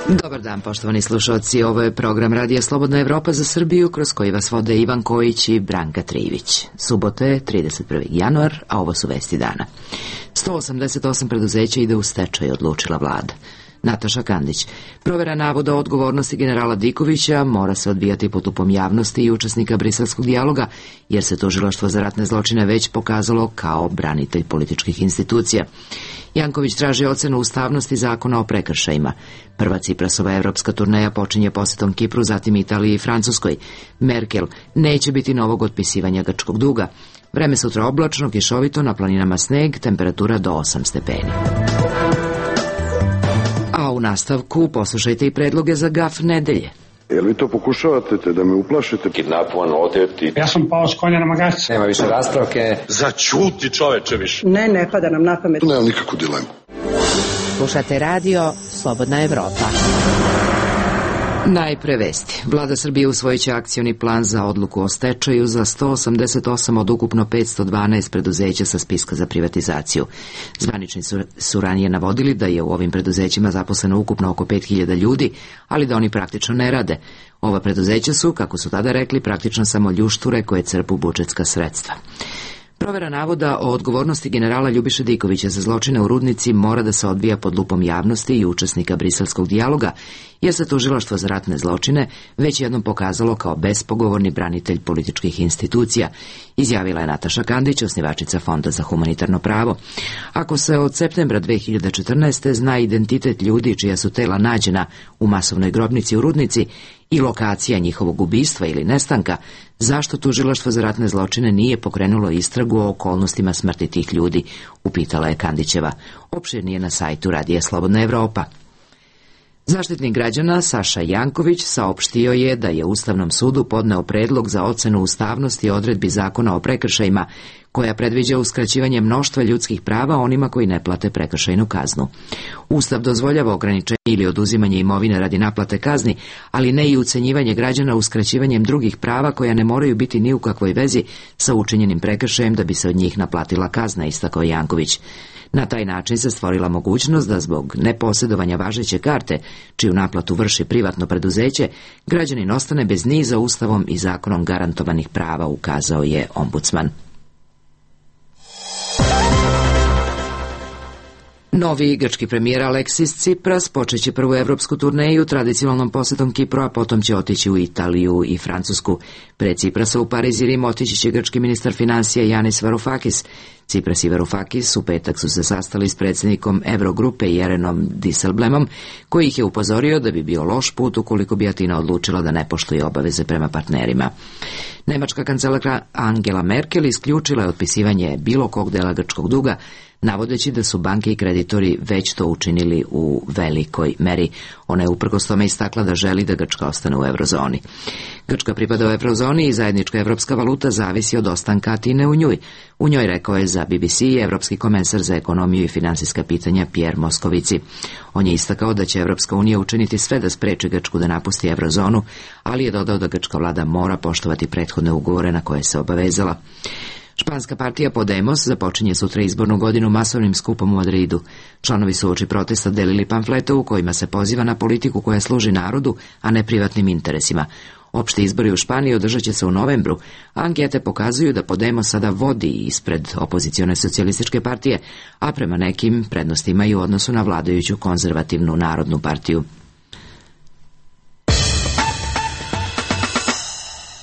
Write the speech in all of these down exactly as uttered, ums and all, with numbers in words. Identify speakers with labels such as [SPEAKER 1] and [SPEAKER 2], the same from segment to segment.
[SPEAKER 1] Dobar dan, poštovani slušalci. Ovo je program Radija Slobodna Evropa za Srbiju, kroz koji vas vode Ivan Kojić i Branka Trivić. Subote je trideset prvi januar, a ovo su vesti dana. sto osamdeset osam preduzeća ide u stečaj, odlučila vlada. Nataša Kandić. Provera navoda o odgovornosti generala Dikovića mora se odvijati pod lupom javnosti i učesnika briselskog dijaloga, jer se tužilaštvo za ratne zločine već pokazalo kao branitelj političkih institucija. Janković traži ocenu ustavnosti zakona o prekršajima. Prva Ciprasova evropska turneja počinje posjetom Kipru, zatim Italiji i Francuskoj. Merkel: neće biti novog otpisivanja grčkog duga. Vreme sutra oblačno, kišovito, na planinama sneg, temperatura do osam stepeni. A u nastavku poslušajte i predloge za gaf nedelje.
[SPEAKER 2] Jel vi to pokušavate da me uplašite?
[SPEAKER 3] Kidnapovan, oteti.
[SPEAKER 4] Ja sam pao s konja na magarcu.
[SPEAKER 3] Nema više raspravke.
[SPEAKER 5] Začuti, čoveče, više.
[SPEAKER 6] Ne, ne pada nam na pamet.
[SPEAKER 2] Nemam nikakvu dilemu.
[SPEAKER 1] Slušate radio Slobodna Evropa. Najpre vesti. Vlada Srbije usvojit će akcioni plan za odluku o stečaju za sto osamdeset osam od ukupno petsto dvanaest preduzeća sa spiska za privatizaciju. Zvanični su, su ranije navodili da je u ovim preduzećima zaposleno ukupno oko pet hiljada ljudi, ali da oni praktično ne rade. Ova preduzeća su, kako su tada rekli, praktično samo ljušture koje crpu budžetska sredstva. Provera navoda o odgovornosti generala Ljubiše Dikovića za zločine u Rudnici mora da se odvija pod lupom javnosti i učesnika briselskog dijaloga, jer se tužilaštvo za ratne zločine već jednom pokazalo kao bespogovorni branitelj političkih institucija, izjavila je Nataša Kandić, osnivačica Fonda za humanitarno pravo. Ako se od septembra dve hiljade četrnaeste. zna identitet ljudi čija su tela nađena u masovnoj grobnici u Rudnici i lokacija njihovog ubistva ili nestanka, zašto tužilaštvo za ratne zločine nije pokrenulo istragu o okolnostima smrti tih ljudi, upitala je Kandićeva. Opširnije na sajtu Radija Slobodna Evropa. Zaštitnik građana Saša Janković saopštio je da je Ustavnom sudu podneo predlog za ocenu ustavnosti odredbi zakona o prekršajima, koja predviđa uskraćivanje mnoštva ljudskih prava onima koji ne plate prekršajnu kaznu. Ustav dozvoljava ograničenje ili oduzimanje imovine radi naplate kazni, ali ne i ucenjivanje građana uskraćivanjem drugih prava koja ne moraju biti ni u kakvoj vezi sa učinjenim prekršajem da bi se od njih naplatila kazna, istakao Janković. Na taj način se stvorila mogućnost da zbog neposjedovanja važeće karte, čiju naplatu vrši privatno preduzeće, građanin ostane bez niza ustavom i zakonom garantovanih prava, ukazao je ombudsman. Novi grčki premijer Aleksis Tsipras počeće prvu evropsku turneju tradicionalnom posjetom Kipru, a potom će otići u Italiju i Francusku. Pre Tsiprasa u Pariz i Rim otići će grčki ministar financija Yanis Varoufakis. Tsipras i Varoufakis u petak su se sastali s predsjednikom Eurogrupe Jerenom Dijsselbloemom, koji ih je upozorio da bi bio loš put ukoliko bi Atina odlučila da ne poštuje obaveze prema partnerima. Nemačka kancelarka Angela Merkel isključila je otpisivanje bilo kog dela grčkog duga, navodeći da su banke i kreditori već to učinili u velikoj meri. Ona je uprkos tome istakla da želi da Grčka ostane u eurozoni. Grčka pripada u eurozoni i zajednička evropska valuta zavisi od ostanka Atine u njoj. U njoj, rekao je za B B C evropski komesar za ekonomiju i finansijska pitanja Pierre Moscovici. On je istakao da će Evropska unija učiniti sve da spreči Grčku da napusti eurozonu, ali je dodao da grčka vlada mora poštovati prethodne ugovore na koje se obavezala. Španska partija Podemos započinje sutra izbornu godinu masovnim skupom u Madridu. Članovi su uoči protesta delili pamflete u kojima se poziva na politiku koja služi narodu, a ne privatnim interesima. Opšti izbori u Španiji održat će se u novembru, a ankete pokazuju da Podemos sada vodi ispred opozicione socijalističke partije, a prema nekim prednosti imaju u odnosu na vladajuću konzervativnu narodnu partiju.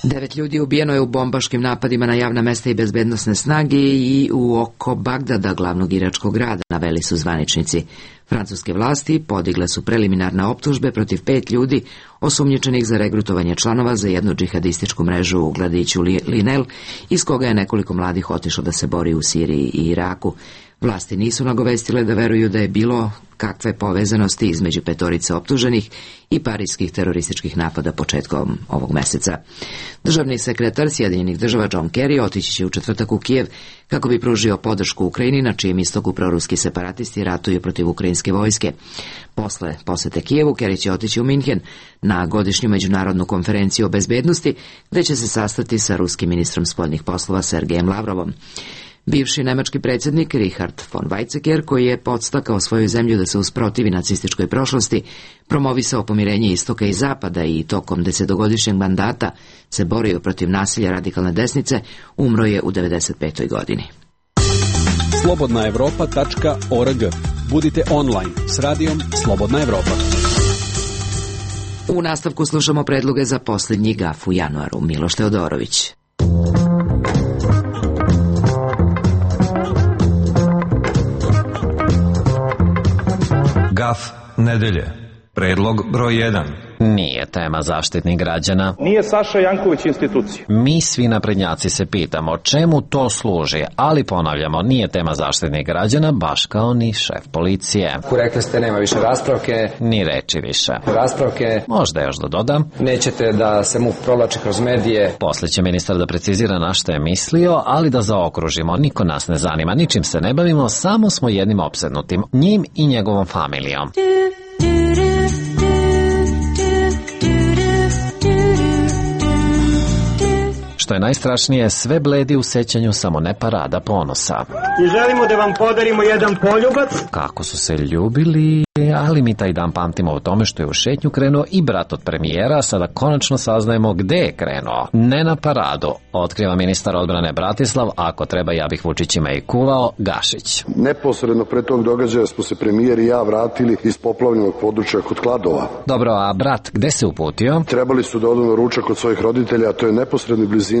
[SPEAKER 1] Devet ljudi ubijeno je u bombaškim napadima na javna mesta i bezbednosne snage i u oko Bagdada, glavnog iračkog grada, naveli su zvaničnici. Francuske vlasti podigle su preliminarne optužbe protiv pet ljudi osumnjičenih za regrutovanje članova za jednu džihadističku mrežu u gradiću Linel, iz koga je nekoliko mladih otišlo da se bori u Siriji i Iraku. Vlasti nisu nagovestile da veruju da je bilo kakve povezanosti između petorice optuženih i parijskih terorističkih napada početkom ovog meseca. Državni sekretar Sjedinjenih država John Kerry otići će u četvrtak u Kijev kako bi pružio podršku Ukrajini, na čijem istoku proruski separatisti ratuju protiv ukrajinske vojske. Posle posete Kijevu, Kerry će otići u Minhen na godišnju međunarodnu konferenciju o bezbednosti, gde će se sastati sa ruskim ministrom spoljnih poslova Sergejem Lavrovom. Bivši nemački predsjednik Richard von Weizsäcker, koji je podstakao svoju zemlju da se usprotivi nacističkoj prošlosti, promovisao pomirenje istoka i zapada i tokom desetogodišnjeg mandata se borio protiv nasilja radikalne desnice, umro je u devedeset petoj godini.
[SPEAKER 4] slobodna evropa tačka org. Budite online s radijom Slobodna Evropa.
[SPEAKER 1] U nastavku slušamo predloge za posljednji gaf u januaru. Miloš Teodorović.
[SPEAKER 6] Gaf nedelje. Predlog broj jedan.
[SPEAKER 7] Nije tema Zaštitnik građana.
[SPEAKER 8] Nije Saša Janković institucija.
[SPEAKER 7] Mi svi naprednjaci se pitamo čemu to služi, ali ponavljamo, nije tema Zaštitnik građana, baš kao ni šef policije.
[SPEAKER 3] Rekli ste nema više raspravke.
[SPEAKER 7] Ni reči više.
[SPEAKER 3] Raspravke.
[SPEAKER 7] Možda još da dodam.
[SPEAKER 3] Nećete da se mu provlači kroz medije.
[SPEAKER 7] Posle će ministar da precizira na što je mislio, ali da zaokružimo, niko nas ne zanima, ničim se ne bavimo, samo smo jednim opsednutim, njim i njegovom familijom. Što je najstrašnije, sve bledi u sećanju, samo ne parada ponosa.
[SPEAKER 8] I želimo da vam podarimo jedan poljubac.
[SPEAKER 7] Kako su se ljubili, ali mi taj dan pamtimo o tome što je u šetnju krenuo i brat od premijera, sada konačno saznajemo gde je krenuo. Ne na paradu, otkriva ministar odbrane Bratislav, ako treba ja bih Vučićima i kuvao, Gašić.
[SPEAKER 2] Neposredno pre tog događaja smo se premijer i ja vratili iz poplavljenog područja kod Kladova.
[SPEAKER 7] Dobro, a brat gde se uputio?
[SPEAKER 2] Trebali su da odu na ručak kod svojih roditelja, a to je neposrednoj blizini.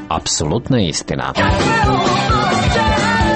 [SPEAKER 7] Apsolutna istina.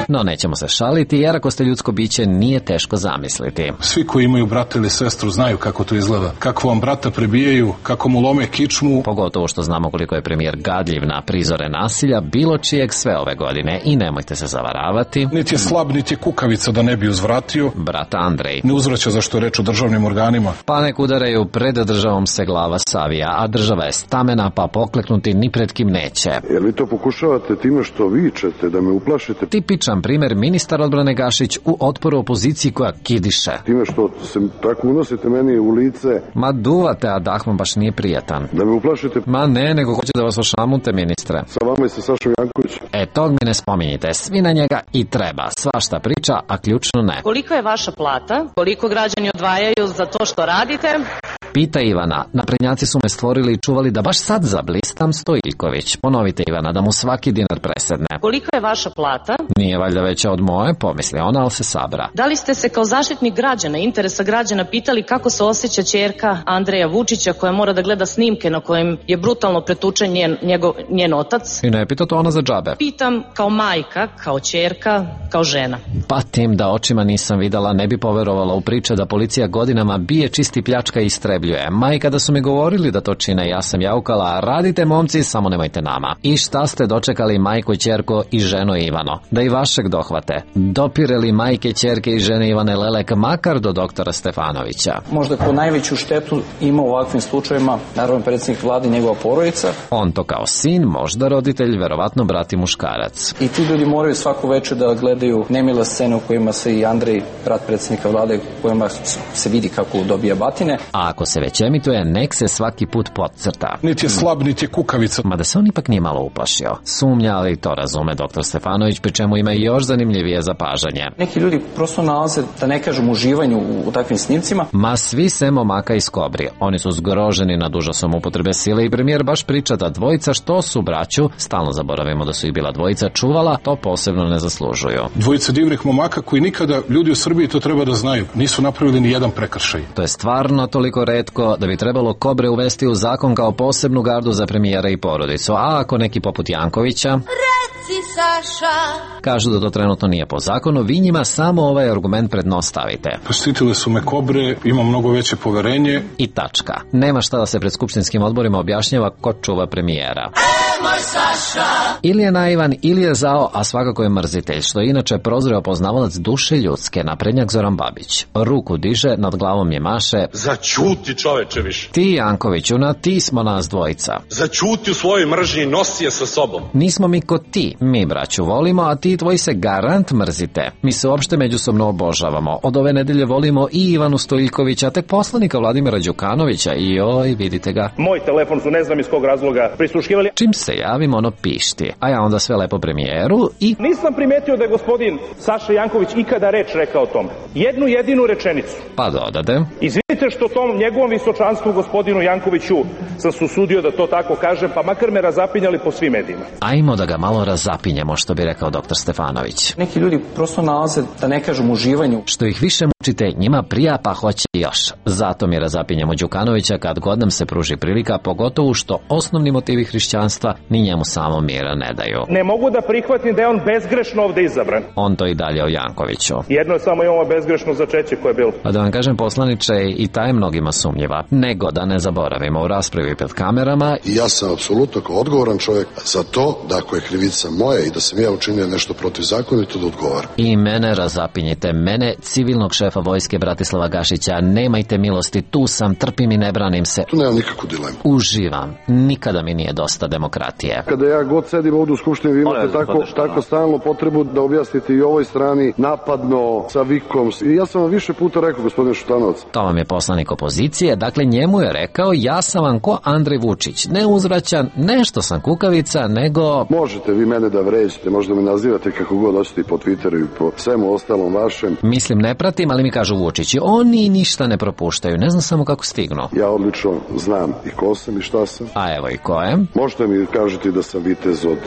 [SPEAKER 7] No, nećemo se šaliti, jer ako ste ljudsko biće, nije teško zamisliti.
[SPEAKER 9] Svi koji imaju brata ili sestru znaju kako to izgleda. Kako vam brata prebijaju, kako mu lome kičmu.
[SPEAKER 7] Pogotovo što znamo koliko je premijer gadljiv na prizore nasilja, bilo čijeg sve ove godine. I nemojte se zavaravati.
[SPEAKER 9] Niti je slab, niti je kukavica da ne bi uzvratio.
[SPEAKER 7] Brat Andrej
[SPEAKER 9] ne uzvraća za što je reč o državnim organima.
[SPEAKER 7] Pa nek udaraju, pred državom se glava savija, a država je stamena, pa pokleknuti ni pred kim neće.
[SPEAKER 2] Jer vi to pokušavate time što vičete, da me uplašite.
[SPEAKER 7] Tipičan primer ministar odbrane Gašić u otporu opoziciji koja kidiše.
[SPEAKER 2] Time što se tako unosite meni u lice.
[SPEAKER 7] Ma duvate, a dah vam baš nije prijatan.
[SPEAKER 2] Da me uplašite.
[SPEAKER 7] Ma ne, nego hoće da vas ošamute, ministre.
[SPEAKER 2] Sa vama i sa Sašom Jankovićem.
[SPEAKER 7] E, tog mi ne spominjite, svi na njega i treba. Svašta priča, a ključno ne.
[SPEAKER 10] Koliko je vaša plata? Koliko građani odvajaju za to što radite?
[SPEAKER 7] Pita Ivana, naprednjaci su me stvorili i čuvali da baš sad zablistam Stojiljković. Ponovite Ivana, da mu svaki dinar presedne.
[SPEAKER 10] Koliko je vaša plata?
[SPEAKER 7] Nije valjda veća od moje, pomisli ona, ali se sabra.
[SPEAKER 10] Da li ste se kao zaštitnik građana, interesa građana, pitali kako se osjeća ćerka Andreja Vučića, koja mora da gleda snimke na kojem je brutalno pretučen njen, njegov, njen otac?
[SPEAKER 7] I ne pita to ona za džabe.
[SPEAKER 10] Pitam kao majka, kao ćerka, kao žena.
[SPEAKER 7] Patim da očima nisam videla, ne bi poverovala u priče da policija godinama bije, čisti, pljačka i istrebljuje. Majka da su mi govorili da to čine, ja sam jaukala, radite momci, samo nemojte nama. I šta ste dočekali majko, ćerko i ženo Ivano? Da i vašeg dohvate. Dopireli majke, ćerke i žene Ivane Lelek makar do doktora Stefanovića.
[SPEAKER 11] Možda ko najveću štetu ima u ovakvim slučajevima, naravno predsjednik vlade i njegova porodica.
[SPEAKER 7] On to kao sin, možda roditelj, verovatno brat i muškarac.
[SPEAKER 11] I ti ljudi moraju svaku večer da gledaju nemile scene u kojima se i Andrej, brat predsjednika vlade, u kojima se vidi kako dobija batine.
[SPEAKER 7] A ako se već emituje, nek se svaki put podcrta.
[SPEAKER 9] Niti je slab, niti je kukavica.
[SPEAKER 7] Mada se on ipak nije malo uplašio. Sumnja, ali to razume doktor Stefanović, pri čemu ima i još zanimljivije zapažanje.
[SPEAKER 11] Neki ljudi prosto nalaze, da ne kažem, uživanju u, u takvim snimcima.
[SPEAKER 7] Ma svi se momaka iz Kobri. Oni su zgroženi nad užasom upotrebe sile i premijer baš priča da dvojica što su braću, stalno zaboravimo da su ih bila dvojica, čuvala, to posebno ne zaslužuju.
[SPEAKER 9] Dvojica divnih momaka koji nikada, ljudi u Srbiji to treba da znaju, nisu napravili ni jedan prekršaj.
[SPEAKER 7] To je stvarno toliko retko da bi trebalo Kobre uvesti u zakon kao posebnu gardu za premijera i porodicu. A ako neki poput Jankovića, reci Saša, kažu da to trenutno nije po zakonu, vi njima samo ovaj argument prednostavite.
[SPEAKER 9] Postitile su me Kobre, ima mnogo veće poverenje.
[SPEAKER 7] I tačka. Nema šta da se pred skupštinskim odborima objašnjava ko čuva premijera. E, moj Saša! Ili je naivan, ili je zao, a svakako je mrzitelj, što je inače prozreo poznavalac duše ljudske, naprednjak Zoran Babić. Ruku diže, nad glavom je maše.
[SPEAKER 5] Začuti, čoveče, više.
[SPEAKER 7] Ti, Jankoviću, na ti smo nas dvojica.
[SPEAKER 5] Začuti u svojoj mržnji, nosi je sa sobom.
[SPEAKER 7] Nismo mi ko ti, mi braću volimo, a ti ti i tvoji se garant mrzite. Mi se uopšte međusobno obožavamo. Od ove nedelje volimo i Ivanu Stojiljkovića, tek poslanika Vladimira Đukanovića i oj, vidite ga.
[SPEAKER 8] Moj telefon su ne znam iz kog razloga prisluškivali.
[SPEAKER 7] Čim se javim, ono pišti. A ja onda sve lepo premijeru i...
[SPEAKER 8] Nisam primetio da je gospodin Saša Janković ikada reč rekao o tome. Jednu jedinu rečenicu.
[SPEAKER 7] Pa dodade.
[SPEAKER 8] Izvinite što tom njegovom visočanstvu gospodinu Jankoviću sam se usudio da to tako kažem, pa makar me razapinjali po svim medijima.
[SPEAKER 7] Ajmo da ga malo razapinjemo, što bi rekao doktor Stefanović.
[SPEAKER 11] Neki ljudi prosto nalaze, da ne kažem, uživanju.
[SPEAKER 7] Što ih više mučite, njima prija pa hoće još. Zato mi razapinjemo Đukanovića kad god nam se pruži prilika, pogotovo što osnovni motivi hrišćanstva ni njemu samo mira ne daju.
[SPEAKER 8] Ne mogu da prihvatim da je on bezgrešno ovde izabran.
[SPEAKER 7] On to i dalje o Jankoviću.
[SPEAKER 8] Jedno je samo i ovo bezgrešno začeće koje je bilo.
[SPEAKER 7] A da vam kažem, poslaniče, i ta je mnogima sumnjiva. Nego da ne zaboravimo u raspravi pred kamerama.
[SPEAKER 2] I ja sam apsolutno kao odgovoran čovjek za to da ako je krivica moja i da sam ja učinio nešto protivzakonito da odgovaram.
[SPEAKER 7] I mene razapinjite, mene, civilnog šefa vojske Bratislava Gašića, nemajte milosti, tu sam, trpim i ne branim se.
[SPEAKER 2] Tu nemam nikakvu dilemu.
[SPEAKER 7] Uživam, nikada mi nije dosta demokratije.
[SPEAKER 2] Kada ja god sedim ovdje u Skupštini, vi imate tako, tako stalno potrebu da objasnite i ovoj strani napadno, sa vikom. I ja sam vam više puta rekao, gospodine Šutanovac.
[SPEAKER 7] To vam je poslanik opozicije, dakle njemu je rekao, ja sam vam ko Andrej Vučić, ne uzvraćan, nešto sam kukavica, nego...
[SPEAKER 2] Možete vi mene da vređete, možda me nazivate kako god hoćete i po Twitteru i po svemu ostalom vašem.
[SPEAKER 7] Mislim, ne pratim, ali mi kažu Vučići, oni ništa ne propuštaju, ne znam samo kako stignu.
[SPEAKER 2] Ja odlično znam i ko sam i šta sam.
[SPEAKER 7] A evo i ko je.
[SPEAKER 2] Možete mi kažete da sam vitez od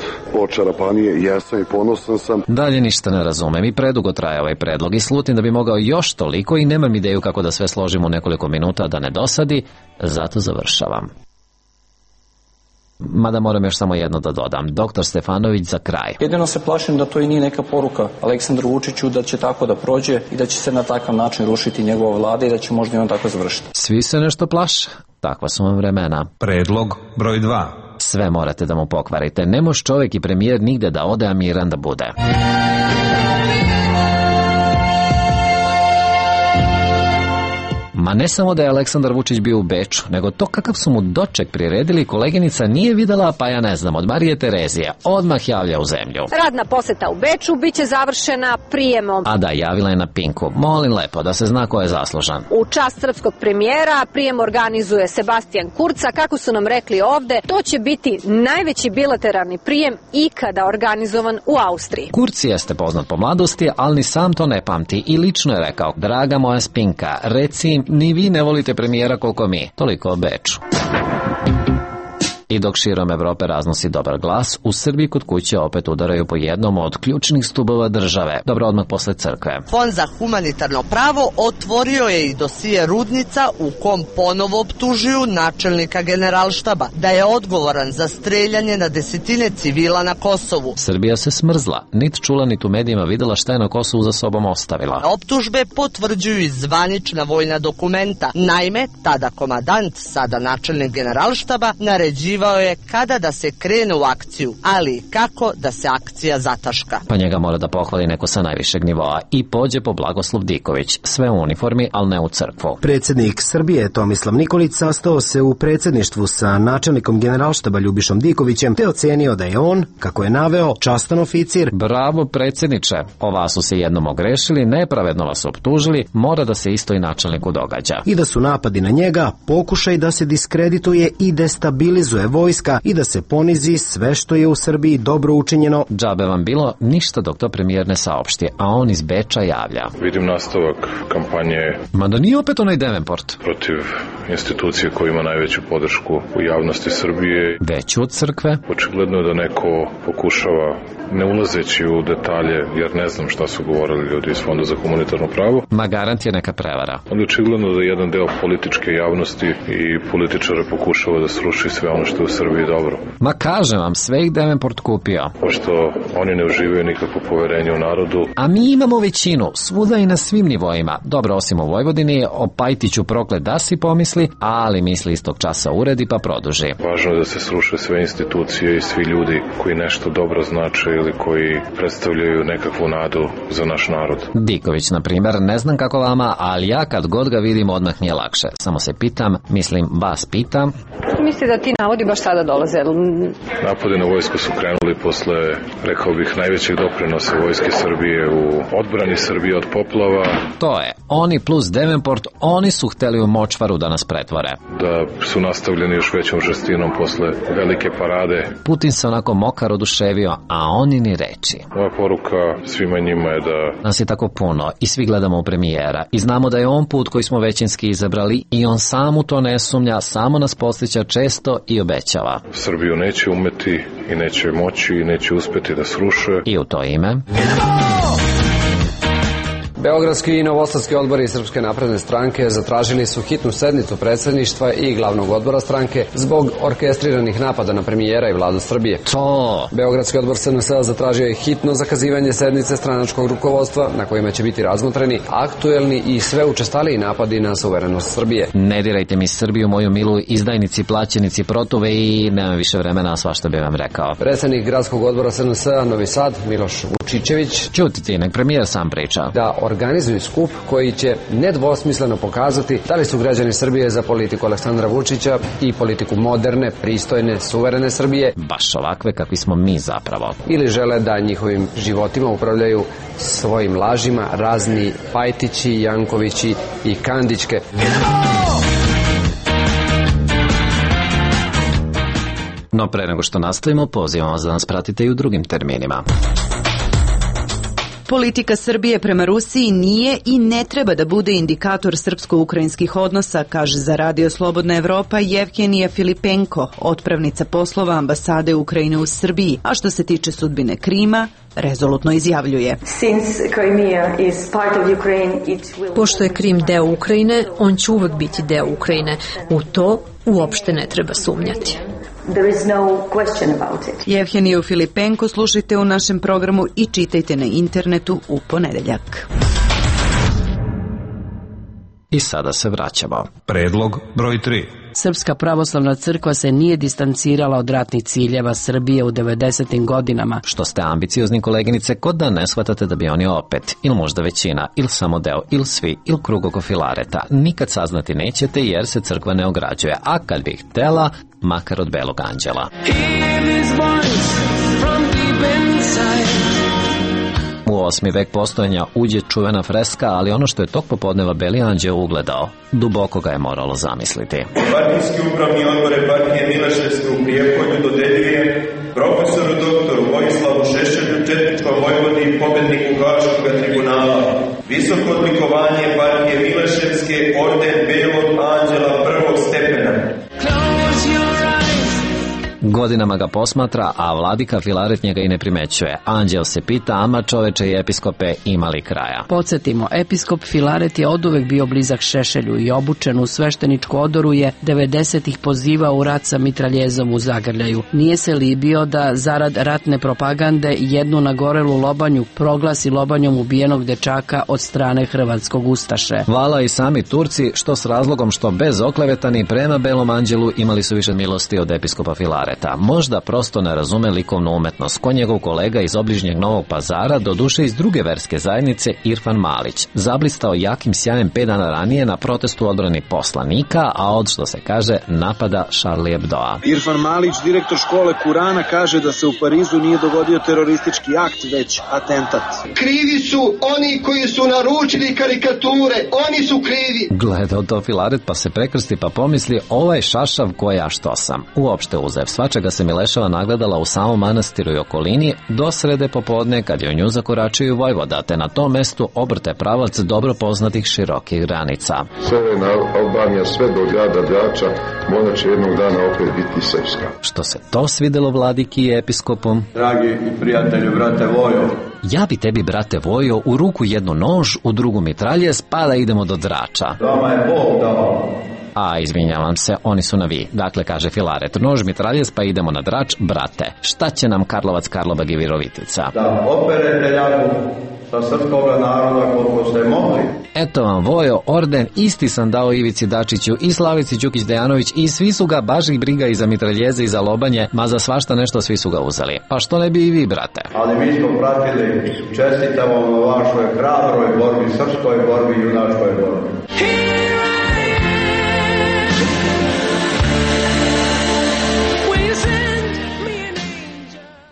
[SPEAKER 2] očarapanije, jesam i ponosan sam.
[SPEAKER 7] Dalje ništa ne razumem i predugo traje ovaj predlog i slutim da bi mogao još toliko i nemam ideju kako da sve složim u nekoliko minuta da ne dosadi, zato završavam. Mada moram još samo jedno da dodam. Doktor Stefanović za kraj.
[SPEAKER 11] Jedino se plašim da to i nije neka poruka Aleksandru Vučiću da će tako da prođe i da će se na takav način rušiti njegova vlada i da će možda i on tako završiti.
[SPEAKER 7] Svi se nešto plaše. Takva su vam vremena.
[SPEAKER 6] Predlog broj dva.
[SPEAKER 7] Sve morate da mu pokvarite. Ne može čovjek i premijer nigde da ode, a miran da bude. Ma ne samo da je Aleksandar Vučić bio u Beču, nego to kakav su mu doček priredili koleginica nije videla, pa ja ne znam, od Marije Terezije. Odmah javlja u zemlju.
[SPEAKER 12] Radna poseta u Beču biće završena prijemom.
[SPEAKER 7] A da, javila je na Pinku. Molim lepo da se zna ko je zaslužan.
[SPEAKER 12] U čast srpskog premijera prijem organizuje Sebastian Kurca. Kako su nam rekli ovde, to će biti najveći bilateralni prijem ikada organizovan u Austriji.
[SPEAKER 7] Kurci jeste poznat po mladosti, ali ni sam to ne pamti i lično je rekao: draga moja Spinka, reci im, ni vi ne volite premijera koliko mi. Toliko o Beču. I dok širom Evrope raznosi dobar glas, u Srbiji kod kuće opet udaraju po jednom od ključnih stubova države. Dobro, odmah posle crkve.
[SPEAKER 13] Fond za humanitarno pravo otvorio je i dosije Rudnica u kom ponovo optužuju načelnika Generalštaba da je odgovoran za streljanje na desetine civila na Kosovu.
[SPEAKER 7] Srbija se smrzla, nit čula nit u medijima videla šta je na Kosovu za sobom ostavila.
[SPEAKER 13] Optužbe potvrđuju i zvanična vojna dokumenta. Naime, tada komadant, sada načelnik Generalštaba, naređivao je kada da se krene u akciju, ali kako da se akcija zataška.
[SPEAKER 7] Pa njega mora da pohvali neko sa najvišeg nivoa i pođe po Blagoslov Diković. Sve u uniformi, ali ne u crkvu.
[SPEAKER 14] Predsjednik Srbije Tomislav Nikolić sastao se u predsjedništvu sa načelnikom Generalštaba Ljubišom Dikovićem te ocenio da je on, kako je naveo, častan oficir.
[SPEAKER 7] Bravo predsjedniče, o vas su se jednom ogrešili, nepravedno vas optužili, mora da se isto i načelniku događa.
[SPEAKER 14] I da su napadi na njega pokušaj da se diskredituje i destabilizuje vojska i da se ponizi sve što je u Srbiji dobro učinjeno.
[SPEAKER 7] Džabe vam bilo ništa dok to premijer ne saopšti, a on iz Beča javlja.
[SPEAKER 5] Vidim nastavak kampanje.
[SPEAKER 7] Mada nije opet onaj Devenport.
[SPEAKER 5] Protiv institucije koja ima najveću podršku u javnosti Srbije.
[SPEAKER 7] Veću od crkve.
[SPEAKER 5] Očigledno je da neko pokušava, ne ulazeći u detalje, jer ne znam šta su govorili ljudi iz Fonda za humanitarno pravo.
[SPEAKER 7] Ma garant je neka prevara.
[SPEAKER 5] Ali očigledno da jedan deo političke javnosti i političara pokušava da sruši sve ono što je u Srbiji dobro.
[SPEAKER 7] Ma kažem vam, sve ih Devenport kupio.
[SPEAKER 5] Pošto oni ne uživaju nikakvo poverenje u narodu.
[SPEAKER 7] A mi imamo većinu, svuda i na svim nivoima. Dobro, osim u Vojvodini, o Pajtiću proklet da si pomisli, ali misli istog časa uredi pa produži.
[SPEAKER 5] Važno je da se sruše sve institucije i svi ljudi koji nešto dobro znače ili koji predstavljaju nekakvu nadu za naš narod.
[SPEAKER 7] Diković, na primjer, ne znam kako vama, ali ja kad god ga vidim odmah mi je lakše. Samo se pitam, mislim, vas pitam.
[SPEAKER 12] Misli da ti navodi napadi baš tada dolaze?
[SPEAKER 5] Napadi na vojsku su krenuli posle, rekao bih, najvećeg doprinosa vojske Srbije u odbrani Srbije od poplava.
[SPEAKER 7] To je, oni plus Devenport, oni su hteli u močvaru da nas pretvore.
[SPEAKER 5] Da su nastavljeni još većom žestinom posle velike parade.
[SPEAKER 7] Putin se onako mokar oduševio, a oni ni reči.
[SPEAKER 5] Moja poruka svima njima je da...
[SPEAKER 7] Nas je tako puno i svi gledamo u premijera i znamo da je on put koji smo većinski izabrali i on sam u to ne sumnja, samo nas podsjeća često i obećava.
[SPEAKER 5] Srbiju neće umeti i neće moći i neće uspeti da sruše.
[SPEAKER 7] I u to ime...
[SPEAKER 3] Beogradski i novosadski odbori Srpske napredne stranke zatražili su hitnu sednicu predsjedništva i glavnog odbora stranke zbog orkestriranih napada na premijera i vladu Srbije.
[SPEAKER 7] To!
[SPEAKER 3] Beogradski odbor S N S zatražio je hitno zakazivanje sednice stranačkog rukovodstva na kojima će biti razmotreni aktuelni i sve učestaliji napadi na suverenost Srbije.
[SPEAKER 7] Ne dirajte mi Srbiju, moju milu, izdajnici, plaćenici, protuve i nemam više vremena, svašta bi vam rekao.
[SPEAKER 3] Predsjednik gradskog odbora S N S Novi Sad, Miloš Vučićević,
[SPEAKER 7] ćuti ti, nek premijer sam priča.
[SPEAKER 3] Da organizuju skup koji će nedvosmisleno pokazati da li su građani Srbije za politiku Aleksandra Vučića i politiku moderne, pristojne, suverene Srbije.
[SPEAKER 7] Baš ovakve kakvi smo mi zapravo.
[SPEAKER 3] Ili žele da njihovim životima upravljaju svojim lažima razni Pajtići, Jankovići i Kandićke.
[SPEAKER 7] No pre nego što nastavimo, pozivamo vas da nas pratite i u drugim terminima.
[SPEAKER 15] Politika Srbije prema Rusiji nije i ne treba da bude indikator srpsko-ukrajinskih odnosa, kaže za Radio Slobodna Evropa Jevgenija Filipenko, otpravnica poslova ambasade Ukrajine u Srbiji, a što se tiče sudbine Krima, rezolutno izjavljuje.
[SPEAKER 16] Pošto je Krim deo Ukrajine, on će uvek biti deo Ukrajine. U to uopšte ne treba sumnjati.
[SPEAKER 15] There is no question about it. Jevgeniju Filipenko slušajte u našem programu i čitajte na internetu u ponedeljak.
[SPEAKER 7] I sada se vraćamo.
[SPEAKER 6] Predlog broj tri.
[SPEAKER 17] Srpska pravoslavna crkva se nije distancirala od ratnih ciljeva Srbije u devedesetim godinama.
[SPEAKER 7] Što ste ambiciozni, koleginice, kod da ne shvatate da bi oni opet, ili možda većina, ili samo deo, ili svi, ili krug oko Filareta. Nikad saznati nećete jer se crkva ne ograđuje, a kad bi htela, makar od belog anđela. U osmi vek postojanja uđe čuvena freska, ali ono što je tog popodneva beli anđeo ugledao, duboko ga je moralo zamisliti.
[SPEAKER 18] Partijski upravni odbore partije Miloševske u Prijepolju dodeljuje profesoru doktoru Vojislavu Šešelju, četničkom vojvodi i pobedniku Haškoga tribunala. Visoko odlikovanje partije Miloševske, orden belog anđela prvog stepena.
[SPEAKER 7] Godinama ga posmatra, a vladika Filaret njega i ne primećuje. Anđel se pita, ama čoveče i episkope imali kraja.
[SPEAKER 17] Podsjetimo, episkop Filaret je oduvek bio blizak Šešelju i obučen u svešteničku odoru je devedesetih pozivao u rat sa mitraljezom u zagrljaju. Nije se libio da zarad ratne propagande jednu nagorelu lobanju proglasi lobanjom ubijenog dečaka od strane hrvatskog ustaše.
[SPEAKER 7] Vala i sami Turci, što s razlogom što bez oklevetani prema belom anđelu imali su više milosti od episkopa Filareta. Možda prosto ne razume likovnu umetnost, ko njegov kolega iz obližnjeg Novog Pazara, doduše iz druge verske zajednice, Irfan Malić, zablistao jakim sjajem pet dana ranije na protestu odbrani poslanika, a od, što se kaže, napada Charlie Hebdoa.
[SPEAKER 19] Irfan Malić, direktor škole Kurana, kaže da se u Parizu nije dogodio teroristički akt, već atentat.
[SPEAKER 20] Krivi su oni koji su naručili karikature, oni su krivi.
[SPEAKER 7] Gledao to Filaret pa se prekrsti pa pomisli, ovaj šašav koja što sam. Uopšte uzev svačega se Mileševa nagledala u samom manastiru i okolini do srede popodne kad je u nju zakoračio vojvoda, te na tom mestu obrte pravac dobro poznatih širokih granica.
[SPEAKER 2] Severna Albanija sve do grada Drača, ona će jednog dana opet biti srpska.
[SPEAKER 7] Što se to svidelo vladiki i episkopom?
[SPEAKER 18] Dragi i prijatelju, brate Vojo,
[SPEAKER 7] ja bi tebi, brate Vojo, u ruku jednu nož, u drugu mitraljez, pa da idemo do Drača.
[SPEAKER 18] Vama je Bog dao.
[SPEAKER 7] A, izvinjavam se, oni su na vi. Dakle, kaže Filaret, nož mitraljez, pa idemo na Drač, brate. Šta će nam Karlovac, Karlobag i Virovitica?
[SPEAKER 18] Da operete jaku sa srpskoga naroda koliko ste mogli.
[SPEAKER 7] Eto vam, Vojo, orden isti sam dao Ivici Dačiću i Slavici Đukić-Dejanović i svi su ga baš ih briga i za mitraljeze i za lobanje, ma za svašta nešto svi su ga uzeli. Pa što ne bi i vi, brate?
[SPEAKER 18] Ali mi smo pratili, čestitamo na vašoj hrabroj borbi, srpskoj borbi i junačkoj borbi.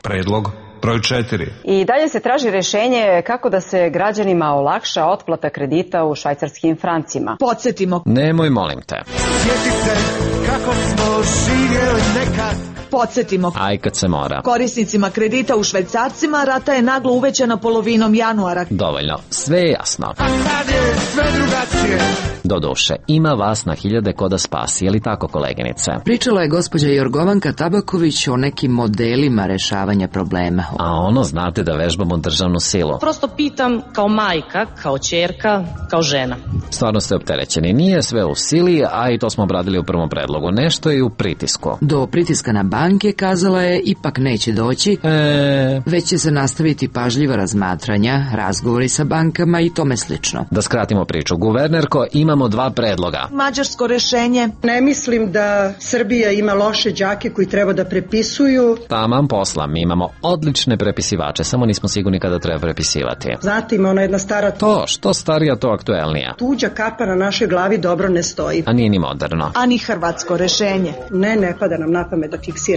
[SPEAKER 6] Predlog broj četiri.
[SPEAKER 21] I dalje se traži rešenje kako da se građanima olakša otplata kredita u švajcarskim francima.
[SPEAKER 22] Podsjetimo.
[SPEAKER 7] Nemoj, molim te.
[SPEAKER 22] Sjeti se kako smo živjeli nekad. Podsjetimo.
[SPEAKER 7] Aj kad se mora.
[SPEAKER 22] Korisnicima kredita u švajcarcima rata je naglo uvećana polovinom januara.
[SPEAKER 7] Dovoljno, sve je jasno.
[SPEAKER 22] A sad je sve drugačije.
[SPEAKER 7] Doduše, ima vas na hiljade ko da spasi, je li tako, koleginice?
[SPEAKER 1] Pričala je gospođa Jorgovanka Tabaković o nekim modelima rešavanja problema.
[SPEAKER 7] A ono, znate da vežbamo državnu silu.
[SPEAKER 10] Prosto pitam kao majka, kao ćerka, kao žena.
[SPEAKER 7] Stvarno ste opterećeni. Nije sve u sili, a i to smo obradili u prvom predlogu. Nešto je u pritisku.
[SPEAKER 1] Do pritiska na banke, kazala je, ipak neće doći,
[SPEAKER 7] e...
[SPEAKER 1] već će se nastaviti pažljiva razmatranja, razgovori sa bankama i tome slično.
[SPEAKER 7] Da skratimo priču, guvernerko, imamo dva predloga.
[SPEAKER 22] Mađarsko rešenje.
[SPEAKER 23] Ne mislim da Srbija ima loše đake koji treba da prepisuju.
[SPEAKER 7] Taman posla, mi imamo odlične prepisivače, samo nismo sigurni kada treba prepisivati.
[SPEAKER 23] Znate, ima ona jedna stara...
[SPEAKER 7] To, što starija, to aktuelnija.
[SPEAKER 23] Tuđa kapa na našoj glavi dobro ne stoji.
[SPEAKER 7] A nije ni moderno.
[SPEAKER 22] A ni hrvatsko rešenje.
[SPEAKER 23] Ne, ne pada nam na pamet da fiksiramo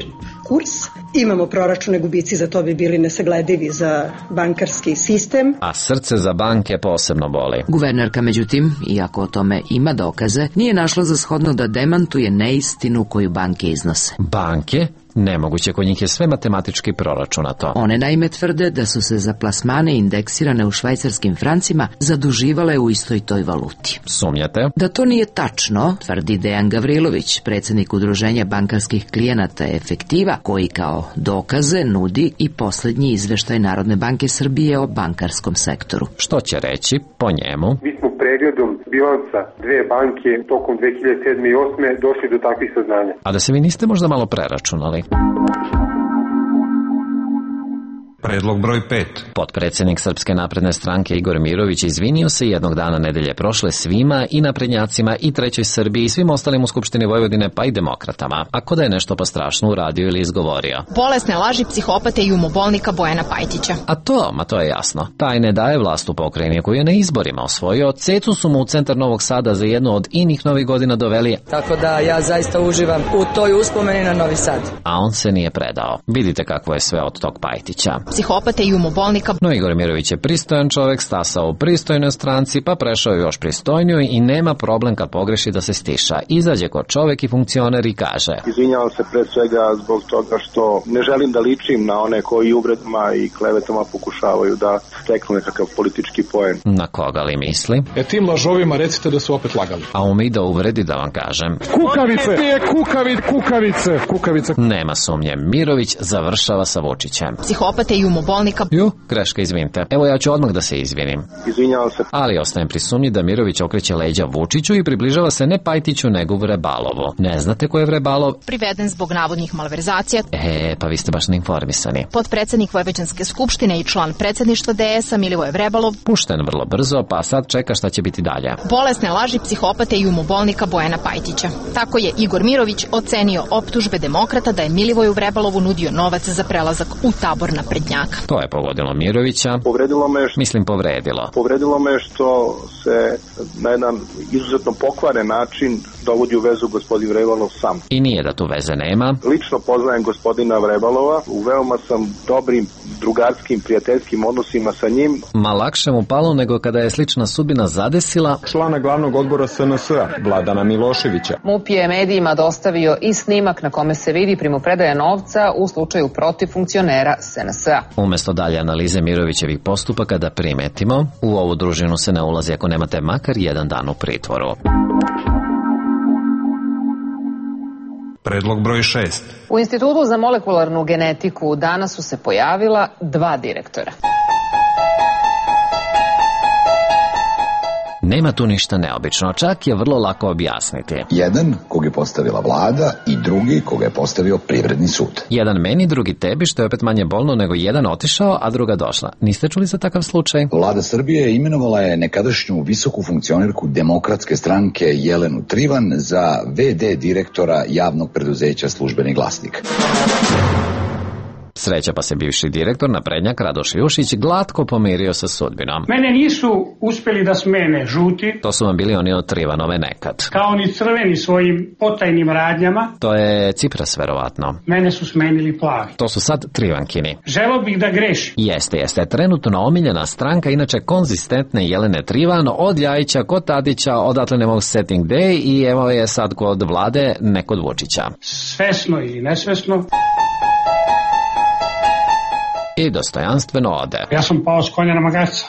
[SPEAKER 23] kurs. Imamo proračune, gubici za to bi bili nesagledivi za bankarski sistem.
[SPEAKER 7] A srce za banke posebno boli.
[SPEAKER 1] Guvernerka, međutim, iako o tome ima dokaze, nije našla za shodno da demantuje neistinu koju banke iznose.
[SPEAKER 7] Banke? Nemoguće, kod njih je sve matematički proračunato.
[SPEAKER 1] One naime tvrde da su se za plasmane indeksirane u švajcarskim francima zaduživale u istoj toj valuti.
[SPEAKER 7] Sumnjate?
[SPEAKER 1] Da to nije tačno, tvrdi Dejan Gavrilović, predsjednik Udruženja bankarskih klijenata Efektiva, koji kao dokaze nudi i posljednji izveštaj Narodne banke Srbije o bankarskom sektoru.
[SPEAKER 7] Što će reći po njemu?
[SPEAKER 24] Mi smo pregledom bilansa dve banke tokom dve hiljade sedme i osme došli do takvih saznanja.
[SPEAKER 7] A da se vi niste možda malo preračunali?
[SPEAKER 6] Predlog broj pet.
[SPEAKER 7] Potpredsjednik Srpske napredne stranke Igor Mirović izvinio se jednog dana nedelje prošle svima, i naprednjacima, i Trećoj Srbiji, i svim ostalim u Skupštini Vojvodine, pa i demokratama. Ako da je nešto pa strašno uradio ili izgovorio.
[SPEAKER 25] Bolesne laži psihopate i umobolnika Bojana Pajtića.
[SPEAKER 7] A to, ma to je jasno. Taj ne daje vlast u pokrajini koju je na izborima osvojio. Cecu su mu u centar Novog Sada za jednu od inih novih godina doveli.
[SPEAKER 26] Tako da ja zaista uživam u toj uspomeni na Novi Sad.
[SPEAKER 7] A on se nije predao. Vidite kako je sve od tog Pajtića.
[SPEAKER 25] Psihopate i umobolnika.
[SPEAKER 7] No, Igor Mirović je pristojan čovjek, stasao u pristojnoj stranci, pa prešao još pristojniju i nema problem kad pogreši da se stiša. Izađe kod čovjek i funkcioner i kaže:
[SPEAKER 24] Izvinjavam se pre svega zbog toga što ne želim da ličim na one koji uvredama i klevetama pokušavaju da steknu nekakav politički poen.
[SPEAKER 7] Na koga li misli?
[SPEAKER 9] E tim lažovima recite da su opet lagali.
[SPEAKER 7] A umi da uvredi, da vam kažem.
[SPEAKER 9] Kukavice! Kukavice! Kukavice! Kukavice!
[SPEAKER 7] Nema sumnje, Mirović završava sa Vučićem.
[SPEAKER 25] Psihopate i umobolnika.
[SPEAKER 7] Ju, greška, izvinite. Evo, ja ću odmah da se izvinim.
[SPEAKER 24] Izvinjavam se.
[SPEAKER 7] Ali ostajem pri sumnji da Mirović okreće leđa Vučiću i približava se ne Pajtiću, nego Vrebalovu. Ne znate ko je Vrebalov?
[SPEAKER 25] Priveden zbog navodnih malverzacija.
[SPEAKER 7] E, pa vi ste baš neinformisani.
[SPEAKER 25] Potpredsjednik Vojvođanske skupštine i član predsjedništva D S-a Milivoje Vrebalov.
[SPEAKER 7] Pušten vrlo brzo, pa sad čeka šta će biti dalje.
[SPEAKER 25] Bolesne laži psihopate i umobolnika Bojana Pajtića. Tako je Igor Mirović ocenio optužbe demokrata da je Milivoju Vrebalovu nudio novac za prelazak u tabor naprednjaka.
[SPEAKER 7] To je pogodilo Mirovića.
[SPEAKER 24] Povredilo me što...
[SPEAKER 7] Mislim povredilo.
[SPEAKER 24] Povredilo me što se na jedan izuzetno pokvaren način dovodi u vezu gospodin Vrebalov sam.
[SPEAKER 7] I nije da tu veze nema.
[SPEAKER 24] Lično poznajem gospodina Vrebalova, u veoma sam dobrim drugarskim, prijateljskim odnosima sa njim.
[SPEAKER 7] Ma lakše mu palo nego kada je slična sudbina zadesila
[SPEAKER 27] člana glavnog odbora S N S-a, Vladana Miloševića.
[SPEAKER 28] MUP je medijima dostavio i snimak na kome se vidi primopredaja novca u slučaju protiv funkcionera S N S-a.
[SPEAKER 7] Umesto dalje analize Mirovićevih postupaka da primetimo, u ovu družinu se ne ulazi ako nemate makar jedan dan u pritvoru.
[SPEAKER 6] Predlog broj šest.
[SPEAKER 28] U Institutu za molekularnu genetiku danas su se pojavila dva direktora.
[SPEAKER 7] Nema tu ništa neobično, čak je vrlo lako objasniti.
[SPEAKER 29] Jedan kog je postavila vlada i drugi koga je postavio privredni sud.
[SPEAKER 7] Jedan meni, drugi tebi, što je opet manje bolno nego jedan otišao, a druga došla. Niste čuli za takav slučaj?
[SPEAKER 29] Vlada Srbije imenovala je nekadašnju visoku funkcionerku Demokratske stranke Jelenu Trivan za ve de direktora javnog preduzeća Službeni glasnik.
[SPEAKER 7] Sreća pa se bivši direktor naprednjak Radoš Jušić glatko pomirio sa sudbinom.
[SPEAKER 3] Mene nisu uspeli da smene žuti.
[SPEAKER 7] To su vam bili oni od Trivanove nekad.
[SPEAKER 3] Kao ni crveni svojim potajnim radnjama.
[SPEAKER 7] To je Cipras verovatno.
[SPEAKER 3] Mene su smenili plavi.
[SPEAKER 7] To su sad Trivankini.
[SPEAKER 3] Želeo bih da grešim.
[SPEAKER 7] Jeste, jeste. Trenutno omiljena stranka, inače konzistentne Jelene Trivan, od Ljajića kod Tadića, odatle ne mogu setting day i evo je sad kod Vlade, ne kod Vučića.
[SPEAKER 3] Svesno ili nesvesno.
[SPEAKER 7] I dostojanstveno ode.
[SPEAKER 3] Ja sam pao s konja na magarca.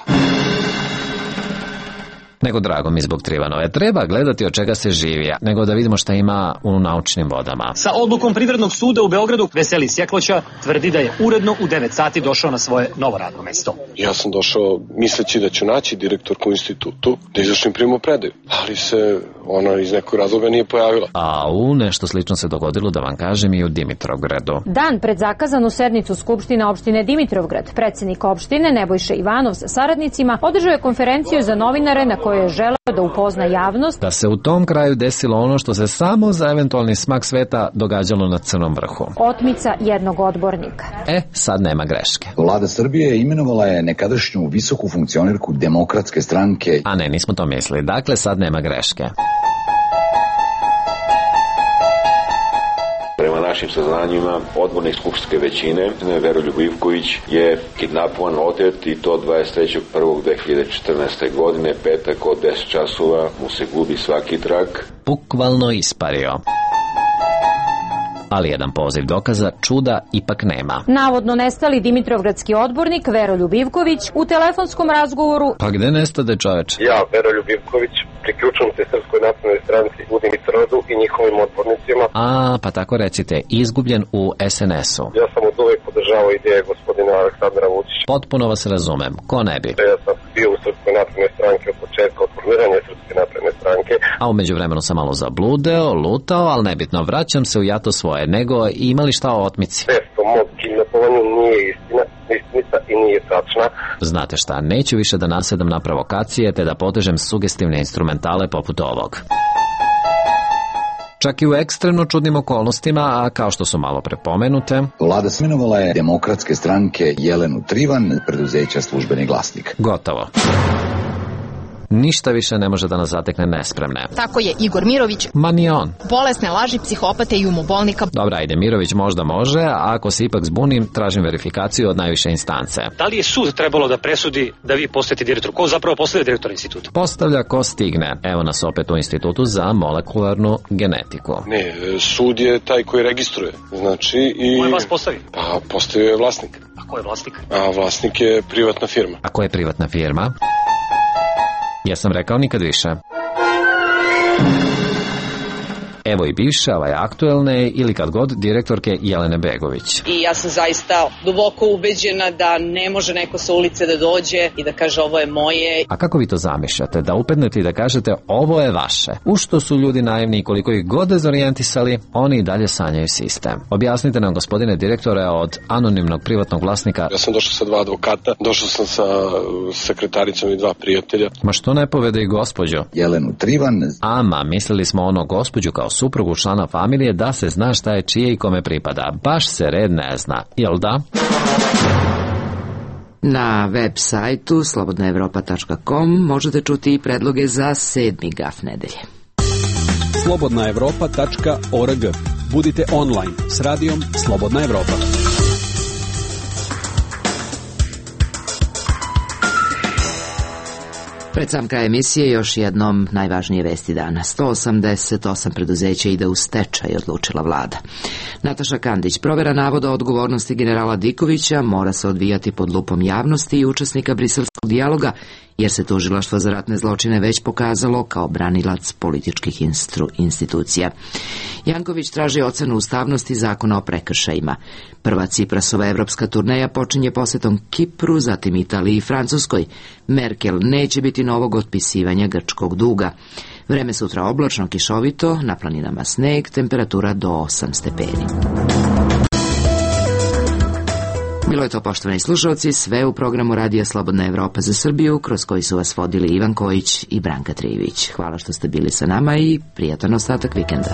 [SPEAKER 7] Nego drago mi zbog Trivanove. Treba gledati od čega se živi, nego da vidimo šta ima u naučnim vodama.
[SPEAKER 4] Sa odlukom Privrednog suda u Beogradu Veseli Sjekloća tvrdi da je uredno u devet sati došao na svoje novo radno mesto.
[SPEAKER 5] Ja sam došao misleći da ću naći direktorku u institutu, da izvršim primopredaju, ali se ona iz nekog razloga nije pojavila.
[SPEAKER 7] A u nešto slično se dogodilo, da vam kažem, i u Dimitrovgradu.
[SPEAKER 8] Dan pred zakazanu sednicu Skupštine opštine Dimitrovgrad, predsjednik opštine Nebojša Ivanov sa saradnicima održao je konferenciju za novinare na kojoj je želeo da upozna javnost
[SPEAKER 7] da se u tom kraju desilo ono što se samo za eventualni smak sveta događalo na Crnom vrhu.
[SPEAKER 8] Otmica jednog odbornika.
[SPEAKER 7] E, sad nema greške.
[SPEAKER 29] Vlada Srbije imenovala je nekadašnju visoku funkcionerku Demokratske stranke.
[SPEAKER 7] A ne, nismo to mislili. Dakle, sad nema greške.
[SPEAKER 11] Prema našim saznanjima, odbornik skupštinske većine, Veroljub Ivković, je kidnapovan, otet i to dvadeset trećeg prvog dve hiljade četrnaeste. godine, petak od deset časova, mu se gubi svaki trag.
[SPEAKER 7] Bukvalno ispario. Ali jedan poziv dokaza čuda ipak nema.
[SPEAKER 8] Navodno nestali dimitrovgradski odbornik Veroljub Ivković u telefonskom razgovoru.
[SPEAKER 7] Pa gde nestade čoveč?
[SPEAKER 24] Ja, Veroljub Ivković, priključujem se Srpskoj naprednoj stranci u Dimitrovgradu i njihovim odbornicima.
[SPEAKER 7] A, pa tako recite, izgubljen u es en es u.
[SPEAKER 24] Ja sam od uvek podržavao ideje gospodina Aleksandra Vučića.
[SPEAKER 7] Potpuno vas razumem, ko ne bi?
[SPEAKER 24] Ja sam bio u Srpskoj naprednoj stranki od početka, od formiranja Srpske napredne stranke.
[SPEAKER 7] A u međuvremenu sam malo zabludeo, lutao, ali nebitno, vraćam se u jato svoje, nego imali šta o otmici?
[SPEAKER 24] Testo mog kidnapovanju nije istina, istinita i nije tačna.
[SPEAKER 7] Znate šta, neću više da nasedam na provokacije, te da potežem sugestivne instrumentale poput ovog. Čak i u ekstremno čudnim okolnostima, a kao što su malo prepomenute,
[SPEAKER 29] Vlada smenovala je Demokratske stranke Jelenu Trivan, preduzeća Službeni glasnik.
[SPEAKER 7] Gotovo. Ništa više ne može da nas zatekne nespremne.
[SPEAKER 25] Tako je Igor Mirović.
[SPEAKER 7] Ma ni on.
[SPEAKER 25] Bolesne laži, psihopate i umobolnika.
[SPEAKER 7] Dobra, ajde, Mirović možda može, a ako se ipak zbunim, tražim verifikaciju od najviše instance.
[SPEAKER 4] Da li je sud trebalo da presudi da vi postajete direktor? Ko zapravo postaje direktor instituta?
[SPEAKER 7] Postavlja ko stigne. Evo nas opet u Institutu za molekularnu genetiku.
[SPEAKER 5] Ne, sud je taj koji registruje. Znači i...
[SPEAKER 4] Ko je vas postavio?
[SPEAKER 5] Pa, postavio je vlasnik.
[SPEAKER 4] A ko je vlasnik?
[SPEAKER 5] A vlasnik je privatna firma.
[SPEAKER 7] A ko je privatna firma? Ja sam rekao nikad više. Evo i bivše, ovaj aktuelne ili kad god direktorke Jelene Begović.
[SPEAKER 12] I ja sam zaista duboko ubeđena da ne može neko sa ulice da dođe i da kaže ovo je moje.
[SPEAKER 7] A kako vi to zamišljate? Da upadnete i da kažete ovo je vaše? U što su ljudi naivni i koliko ih god dezorijentisali, oni i dalje sanjaju sistem. Objasnite nam, gospodine direktore, od anonimnog privatnog vlasnika.
[SPEAKER 5] Ja sam došao sa dva advokata, došao sam sa sekretaricom i dva prijatelja.
[SPEAKER 7] Ma što ne povede i gospođu?
[SPEAKER 29] Jelenu Trivan.
[SPEAKER 7] Ama, mislili smo ono gospođu kao suprugu člana familije, da se zna šta je čije i kome pripada. Baš se red ne zna, jel da?
[SPEAKER 1] Na web sajtu slobodna evropa tačka com možete čuti i predloge za sedmi gaf nedelje.
[SPEAKER 13] slobodna evropa tačka org. Budite online s radijom Slobodna Evropa.
[SPEAKER 1] Pred sam kraj emisije još jednom najvažnije vesti dana. sto osamdeset osam preduzeća ide u stečaj, odlučila vlada. Nataša Kandić, provera navoda o odgovornosti generala Dikovića mora se odvijati pod lupom javnosti i učesnika briselskog dijaloga, jer se tužilaštvo za ratne zločine već pokazalo kao branilac političkih instru, institucija. Janković traži ocenu ustavnosti zakona o prekršajima. Prva Ciprasova evropska turneja počinje posetom Kipru, zatim Italiji i Francuskoj. Merkel neće biti novog otpisivanja grčkog duga. Vreme sutra oblačno, kišovito, na planinama sneg, temperatura do osam stepeni. Bilo je to, poštovani slušalci, sve u programu Radija Slobodna Evropa za Srbiju, kroz koji su vas vodili Ivan Kojić i Branka Trijević. Hvala što ste bili sa nama i prijatan ostatak vikenda.